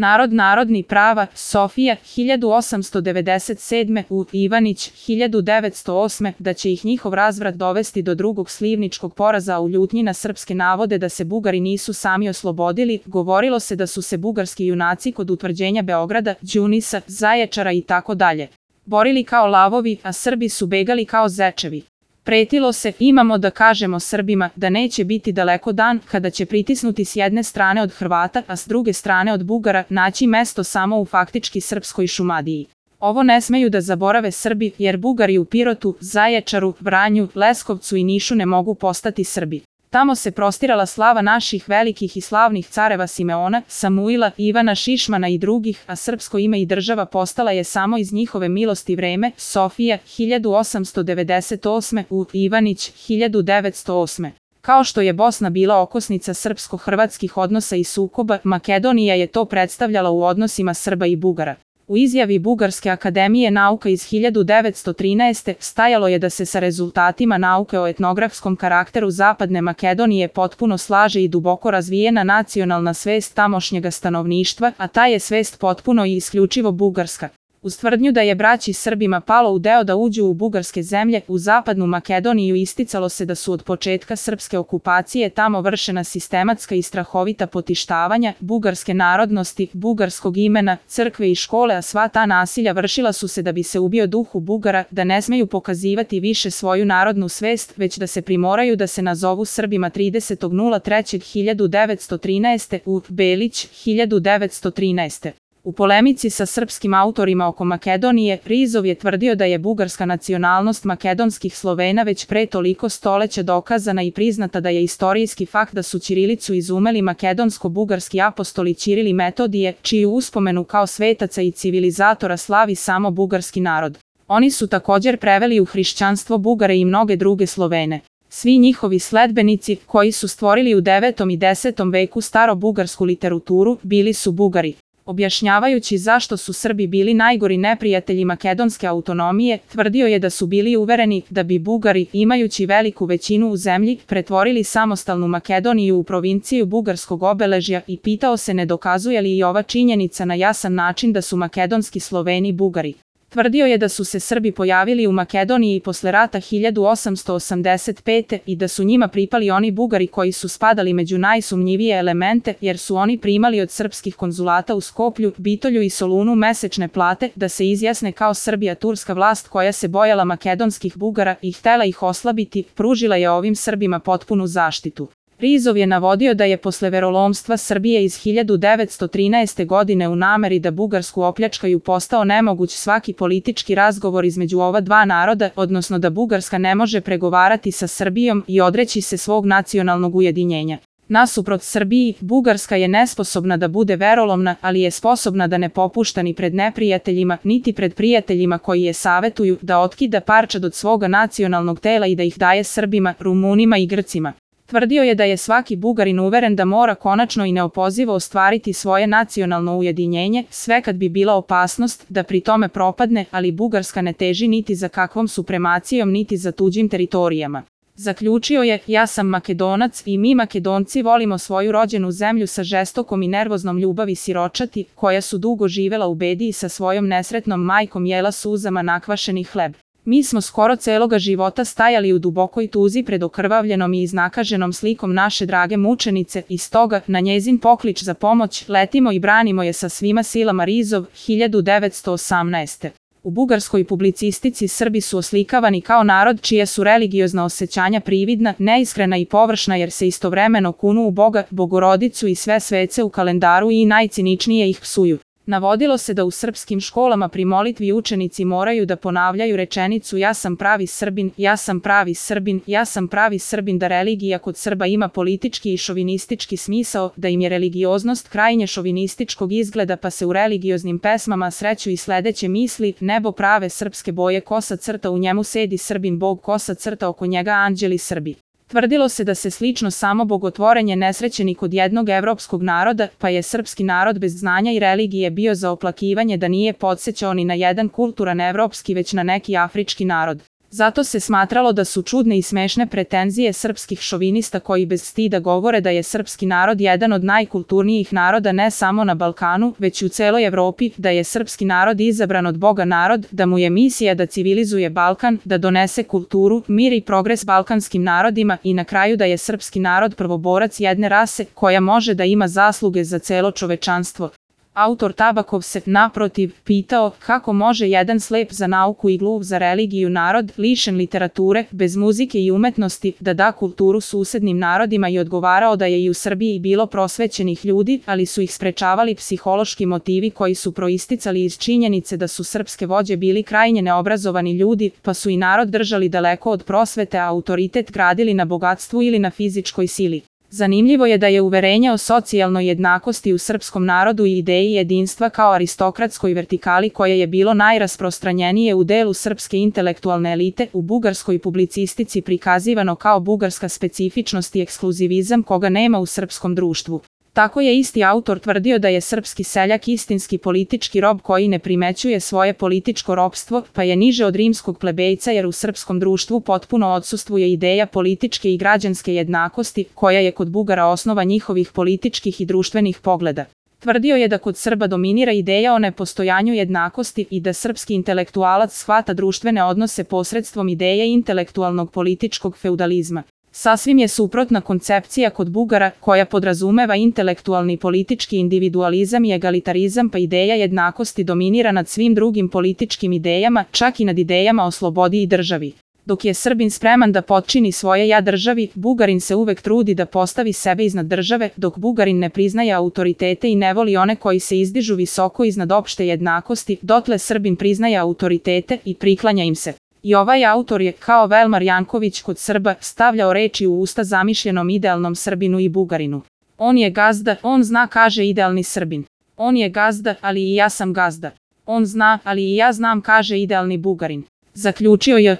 Narod narodni prava, Sofija, 1897. U. Ivanić, 1908. Da će ih njihov razvrat dovesti do drugog slivničkog poraza, a u ljutnji na srpske navode da se Bugari nisu sami oslobodili, govorilo se da su se bugarski junaci kod utvrđenja Beograda, Đunisa, Zaječara i tako dalje borili kao lavovi, a Srbi su begali kao zečevi. Pretilo se, imamo da kažemo Srbima, da neće biti daleko dan kada će pritisnuti s jedne strane od Hrvata, a s druge strane od Bugara, naći mesto samo u faktički srpskoj Šumadiji. Ovo ne smeju da zaborave Srbi, jer Bugari u Pirotu, Zaječaru, Vranju, Leskovcu i Nišu ne mogu postati Srbi. Tamo se prostirala slava naših velikih i slavnih careva Simeona, Samuila, Ivana Šišmana i drugih, a srpsko ime i država postala je samo iz njihove milosti vreme. Sofija, 1898. U. Ivanić, 1908. Kao što je Bosna bila okosnica srpsko-hrvatskih odnosa i sukoba, Makedonija je to predstavljala u odnosima Srba i Bugara. U izjavi Bugarske akademije nauka iz 1913. stajalo je da se sa rezultatima nauke o etnografskom karakteru Zapadne Makedonije potpuno slaže i duboko razvijena nacionalna svest tamošnjega stanovništva, a ta je svest potpuno i isključivo bugarska. Uz tvrdnju da je braći Srbima palo u deo da uđu u bugarske zemlje, u Zapadnu Makedoniju isticalo se da su od početka srpske okupacije tamo vršena sistematska i strahovita potištavanja bugarske narodnosti, bugarskog imena, crkve i škole, a sva ta nasilja vršila su se da bi se ubio duhu Bugara, da ne smeju pokazivati više svoju narodnu svest, već da se primoraju da se nazovu Srbima 30.03.1913. U. Belić, 1913. U polemici sa srpskim autorima oko Makedonije, Rizov je tvrdio da je bugarska nacionalnost makedonskih Slovena već pre toliko stoleća dokazana i priznata da je istorijski fakt da su ćirilicu izumeli makedonsko-bugarski apostoli Ćiril i Metodije, čiju uspomenu kao svetaca i civilizatora slavi samo bugarski narod. Oni su također preveli u hrišćanstvo Bugare i mnoge druge Slovene. Svi njihovi sledbenici, koji su stvorili u 9. i 10. veku staro-bugarsku literaturu, bili su Bugari. Objašnjavajući zašto su Srbi bili najgori neprijatelji makedonske autonomije, tvrdio je da su bili uvereni da bi Bugari, imajući veliku većinu u zemlji, pretvorili samostalnu Makedoniju u provinciju bugarskog obeležja i pitao se ne dokazuje li i ova činjenica na jasan način da su makedonski Sloveni Bugari. Tvrdio je da su se Srbi pojavili u Makedoniji posle rata 1885. i da su njima pripali oni Bugari koji su spadali među najsumnjivije elemente, jer su oni primali od srpskih konzulata u Skoplju, Bitolju i Solunu mesečne plate da se izjasne kao Srbija. Turska vlast koja se bojala makedonskih Bugara i htela ih oslabiti, pružila je ovim Srbima potpunu zaštitu. Rizov je navodio da je posle verolomstva Srbije iz 1913. godine u nameri da Bugarsku opljačkaju postao nemoguć svaki politički razgovor između ova dva naroda, odnosno da Bugarska ne može pregovarati sa Srbijom i odreći se svog nacionalnog ujedinjenja. Nasuprot Srbiji, Bugarska je nesposobna da bude verolomna, ali je sposobna da ne popušta ni pred neprijateljima, niti pred prijateljima koji je savetuju da otkida parčad od svoga nacionalnog tela i da ih daje Srbima, Rumunima i Grcima. Tvrdio je da je svaki Bugarin uveren da mora konačno i neopozivo ostvariti svoje nacionalno ujedinjenje, sve kad bi bila opasnost da pri tome propadne, ali Bugarska ne teži niti za kakvom supremacijom niti za tuđim teritorijama. Zaključio je, ja sam Makedonac i mi Makedonci volimo svoju rođenu zemlju sa žestokom i nervoznom ljubavi siročati, koja su dugo živela u bedi i sa svojom nesretnom majkom jela suzama nakvašeni hleb. Mi smo skoro celoga života stajali u dubokoj tuzi pred okrvavljenom i iznakaženom slikom naše drage mučenice i stoga, na njezin poklič za pomoć, letimo i branimo je sa svima silama. Rizov, 1918. U bugarskoj publicistici Srbi su oslikavani kao narod čija su religiozna osjećanja prividna, neiskrena i površna jer se istovremeno kunu u Boga, Bogorodicu i sve svece u kalendaru i najciničnije ih psuju. Navodilo se da u srpskim školama pri molitvi učenici moraju da ponavljaju rečenicu ja sam pravi Srbin, ja sam pravi Srbin, ja sam pravi Srbin, da religija kod Srba ima politički i šovinistički smisao, da im je religioznost krajnje šovinističkog izgleda pa se u religioznim pesmama sreću i sledeće misli, nebo prave srpske boje, kosa crta u njemu sedi Srbin Bog, kosa crta oko njega anđeli Srbi. Tvrdilo se da se slično samo bogotvorenje nesrećeni kod jednog evropskog naroda, pa je srpski narod bez znanja i religije bio za oplakivanje da nije podsećao ni na jedan kulturan evropski već na neki afrički narod. Zato se smatralo da su čudne i smešne pretenzije srpskih šovinista koji bez stida govore da je srpski narod jedan od najkulturnijih naroda ne samo na Balkanu, već i u celoj Evropi, da je srpski narod izabran od Boga narod, da mu je misija da civilizuje Balkan, da donese kulturu, mir i progres balkanskim narodima i na kraju da je srpski narod prvoborac jedne rase koja može da ima zasluge za celo čovečanstvo. Autor Tabakov se, naprotiv, pitao kako može jedan slep za nauku i gluv za religiju narod, lišen literature, bez muzike i umetnosti, da da kulturu susednim narodima i odgovarao da je i u Srbiji bilo prosvećenih ljudi, ali su ih sprečavali psihološki motivi koji su proisticali iz činjenice da su srpske vođe bili krajnje neobrazovani ljudi, pa su i narod držali daleko od prosvete, a autoritet gradili na bogatstvu ili na fizičkoj sili. Zanimljivo je da je uverenje o socijalnoj jednakosti u srpskom narodu i ideji jedinstva kao aristokratskoj vertikali koje je bilo najrasprostranjenije u delu srpske intelektualne elite u bugarskoj publicistici prikazivano kao bugarska specifičnost i ekskluzivizam koga nema u srpskom društvu. Tako je isti autor tvrdio da je srpski seljak istinski politički rob koji ne primećuje svoje političko ropstvo, pa je niže od rimskog plebejca jer u srpskom društvu potpuno odsustvuje ideja političke i građanske jednakosti, koja je kod Bugara osnova njihovih političkih i društvenih pogleda. Tvrdio je da kod Srba dominira ideja o nepostojanju jednakosti i da srpski intelektualac shvata društvene odnose posredstvom ideje intelektualnog političkog feudalizma. Sasvim je suprotna koncepcija kod Bugara koja podrazumeva intelektualni politički individualizam i egalitarizam, pa ideja jednakosti dominira nad svim drugim političkim idejama, čak i nad idejama o slobodi i državi. Dok je Srbin spreman da potčini svoje ja državi, Bugarin se uvek trudi da postavi sebe iznad države, dok Bugarin ne priznaje autoritete i ne voli one koji se izdižu visoko iznad opšte jednakosti, dotle Srbin priznaje autoritete i priklanja im se. I ovaj autor je, kao Velmar Janković kod Srba, stavljao reči u usta zamišljenom idealnom Srbinu i Bugarinu. On je gazda, on zna, kaže idealni Srbin. On je gazda, ali i ja sam gazda. On zna, ali i ja znam, kaže idealni Bugarin. Zaključio je.